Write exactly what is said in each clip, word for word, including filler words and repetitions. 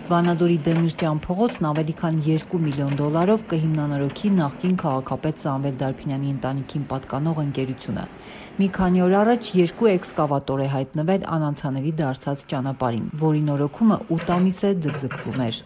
Վանաձորի Դեմիրճյան փողոցն ավելի քան երկու միլիոն դոլարով կհիմնանորոգի նախկին քաղաքապետ Սամվել Դարբինյանի ընտանիքին պատկանող ընկերությունը։ Մի քանի օր առաջ երկու էքսկավատոր է հայտնվել անանցանելի դարձած ճանապարհին, որի նորոգումը ութ ամիս է ձգձգվում էր։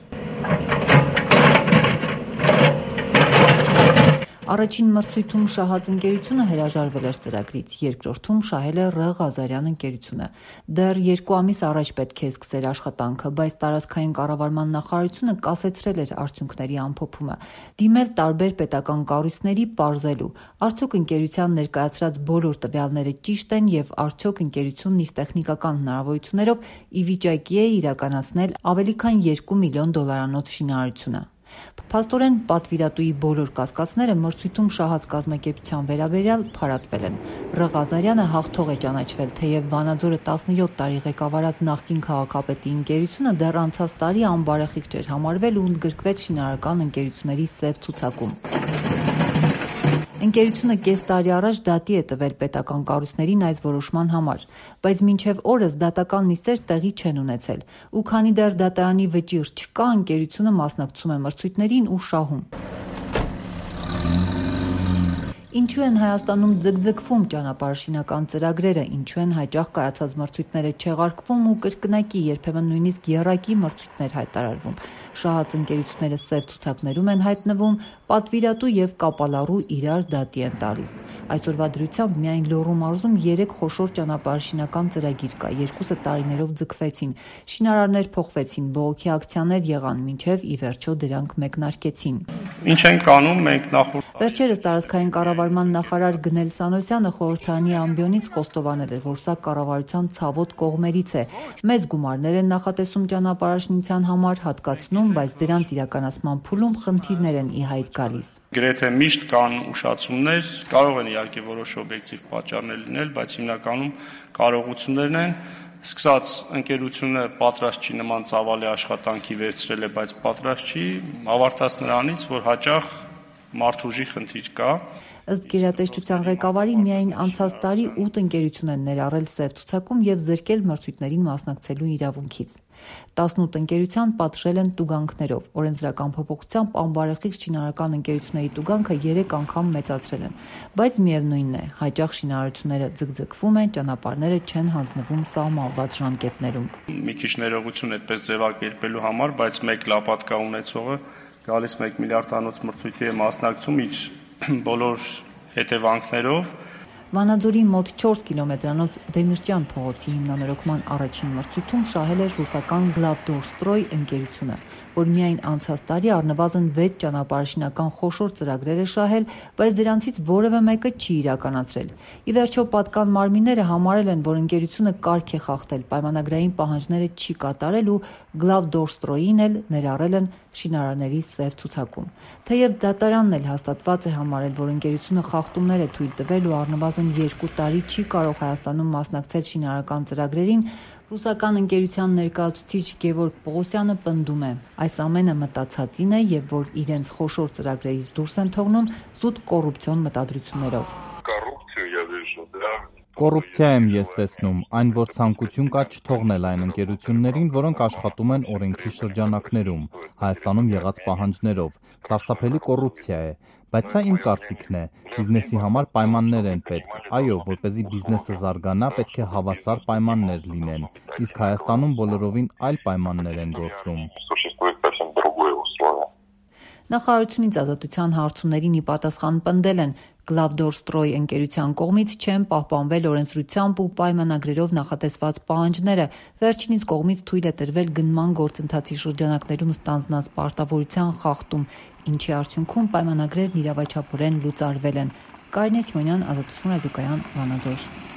Առաջին մրցույթում շահած ընկերությունը հրաժարվել էր ծրագրից, երկրորդում շահել է Ռ. Ղազարյան ընկերությունը։ Դեռ երկու ամիս առաջ պետք է սկսեր աշխատանքը, բայց տարածքային կառավարման նախարարությունը կասեցրել էր արդյունքների ամփոփումը, դիմել տարբեր պետական կառույցների պարզելու, արդյոք ընկերության ներկայացրած բոլոր տվյալները ճիշտ են եւ արդյոք ընկերությունն իր տեխնիկական հնարավորություններով ի վիճակի է իրականացնել ավելի քան երկու միլիոն դոլարանոց շինարարությունը։ Փաստորեն պատվիրատուի բոլոր կասկածները մրցույթում շահած կազմակերպության վերաբերյալ փարատվել են։ Ռ. Ղազարյանը հաղթող է ճանաչվել, թեև Վանաձորը տասնյոթ տարի ղեկավարած նախկին քաղաքապետի ընկերությունը դեռ անցած տարի անբարեխիղճ էր համարվել ու ընդգրկվեց շինարարական ընկերությունների սև ցուցակում։ Ընկերությունը կես տարի առաջ դատի է տվել պետական կառույցներին այս որոշման համար, բայց մինչև օրս դատական նիստեր տեղի չեն ունեցել, ու քանի դեռ դատարանի վճիռ չկա, ընկերությունը մասնակցում է մրցույթներին ու շահում։ Ինչու են Հայաստանում ձգձգվում ճանապարհաշինական ծրագրերը, ինչու են հաճախ կայացած մրցույթները չեղարկվում ու կրկնակի, երբեմն նույնիսկ եռակի մրցույթներ հայտարարվում։ Շահած ընկերությունները սև ցուցակներում են հայտնվում, պատվիրատու եւ կապալառու իրար դատի են տալիս։ Այսօրվա դրությամբ միայն Լոռու մարզում երեք խոշոր ճանապարհաշինական ծրագիր կա, երկուսը տարիներով ձգվեցին, շինարարներ փոխվեցին, բողոքի ակցիաներ եղան, մինչև ի վերջո դրանք մեկնարկեցին։ Ինչ ենք անում մենք նախորդ Վերջերս տարածքային կառավարման նախարար Գնել Սանոսյանը խորհրդարանի ամբիոնից խոստովանել էր, որ սա կառավարության ցավոտ կողմերից է։ Մեծ գումարներ են նախատեսում ճանապարհաշինության համար, հատկացնում, բայց դրանց իրականացման փուլում խնդիրներ են ի հայտ գալիս։ Գրեթե միշտ կան ուշացումներ, կարող են իհարկե որոշ օբյեկտիվ պատճառներ լինել, բայց հիմնականում կարողություններն են։ Սկսած ընկերությունը պատրաստ չի նման ծավալի աշխատանքի վերցրել է, բայց պատրաստ չի, ավարտած նրանից, որ հաճախ մարդուժի խնդիր կա։ Ըստ գերատեսչության ղեկավարի միայն անցած տարի ութ ընկերություն են ներառել սև ցուցակում եւ զրկել մրցույթներին մասնակցելու իրավունքից։ տասնութ ընկերության պատժել են տուգանքներով։ Օրենսդրական փոփոխությամբ անբարեխիղճ շինարարական ընկերությունների տուգանքը երեք անգամ մեծացրել են, բայց միևնույնն է, հաճախ շինարարությունները ձգձգվում են, ճանապարհները չեն հանձնվում սահմանված ժամկետներում։ Մի քիչ ներողություն այդպես ձևակերպելու համար, բայց մեկ լապատկա ունեցողը գալիս մեկ միլիարդանոց մրցույթի է մասնակցում իր բոլոր հետևանքներով։ Վանաձորի մոտ չորս կիլոմետրանոց Դեմիրճյան փողոցի հիմնանորոգման առաջին մրցույթում շահել էր ռուսական Գլավդորստրոյ ընկերությունը, որ միայն անցած տարի առնվազն վեց ճանապարհաշինական խոշոր ծրագրեր է շահել, բայց դրանցից որևէ մեկը չի իրականացրել։ Ի վերջո պատկան մարմինները համարել են, որ ընկերությունը կարգ է խախտել, պայմանագրային պահանջները չի կատարել ու Գլավդորստրոյին էլ ներառել են շինարարների սև ցուցակում։ Թեև դատարանն էլ հաստատված է համարել, որ ընկերությունը խախտումներ է թույլ տվել ու առնվազն երկու տարի չի կարող Հայաստանում մասնակցել շինարարական ծրագրերին, ռուսական ընկերության ներկայացուցիչ Գևորգ Պողոսյանը պնդում է. այս ամենը մտածածին է եւ որ իրենց խոշոր ծրագրերից դուրս են թողնում զուտ կոռուպցիոն մտադրություններով։ Կոռուպցիա եմ ես տեսնում, այն որ ցանկություն կա չթողնել այն ընկերություններին, որոնք աշխատում են օրենքի շրջանակներում, Հայաստանում եղած պահանջներով, սարսափելի կոռուպցիա է, բայց սա իմ կարծիքն է, բիզնեսի համար պայմաններ են պետք, այո, որպեսզի բիզնեսը զարգանա, պետք է հավասար պայմաններ լինեն, իսկ Հայաստանում բոլորովին այլ պայմաններ են գործում։ Նախարարությունից ազատության հարցումներին ի պատասխան պնդել են Գլավդորստրոյ ընկերության կողմից չեն պահպանվել օրենսդրությամբ ու պայմանագրերով նախատեսված պահանջները, վերջինիս կողմից թույլ է տրվել գնման գործընթացի շրջանակներում ստանձնած պարտավորության խախտում, ինչի արդյունքում պայմանագրերն իրավաչափորեն լուծարվել են։ Կարինե Սիմոնյան, Ազատություն ռադիոկայան, Վանաձոր։